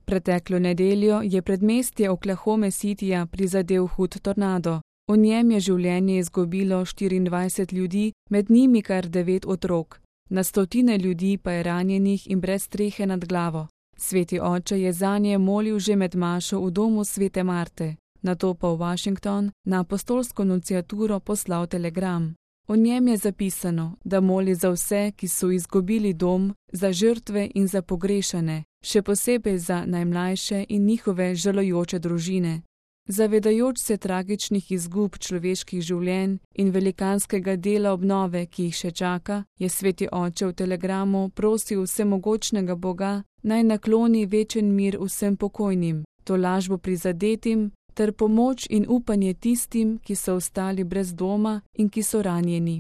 Preteklo nedeljo je predmestje Oklahome Cityja prizadel hud tornado. V njem je življenje izgubilo 24 ljudi, med njimi kar 9 otrok. Na stotine ljudi pa je ranjenih in brez strehe nad glavo. Sveti oče je zanje molil že med mašo v domu svete Marte, nato pa v Washington na apostolsko nunciaturo poslal telegram. V njem je zapisano, da moli za vse, ki so izgubili dom, za žrtve in za pogrešane, še posebej za najmlajše in njihove žalujoče družine. Zavedajoč se tragičnih izgub človeških življenj in velikanskega dela obnove, ki jih še čaka, je sveti oče v telegramu prosil vsemogočnega Boga, naj nakloni večen mir vsem pokojnim, tolažbo prizadetim ter pomoč in upanje tistim, ki so ostali brez doma in ki so ranjeni.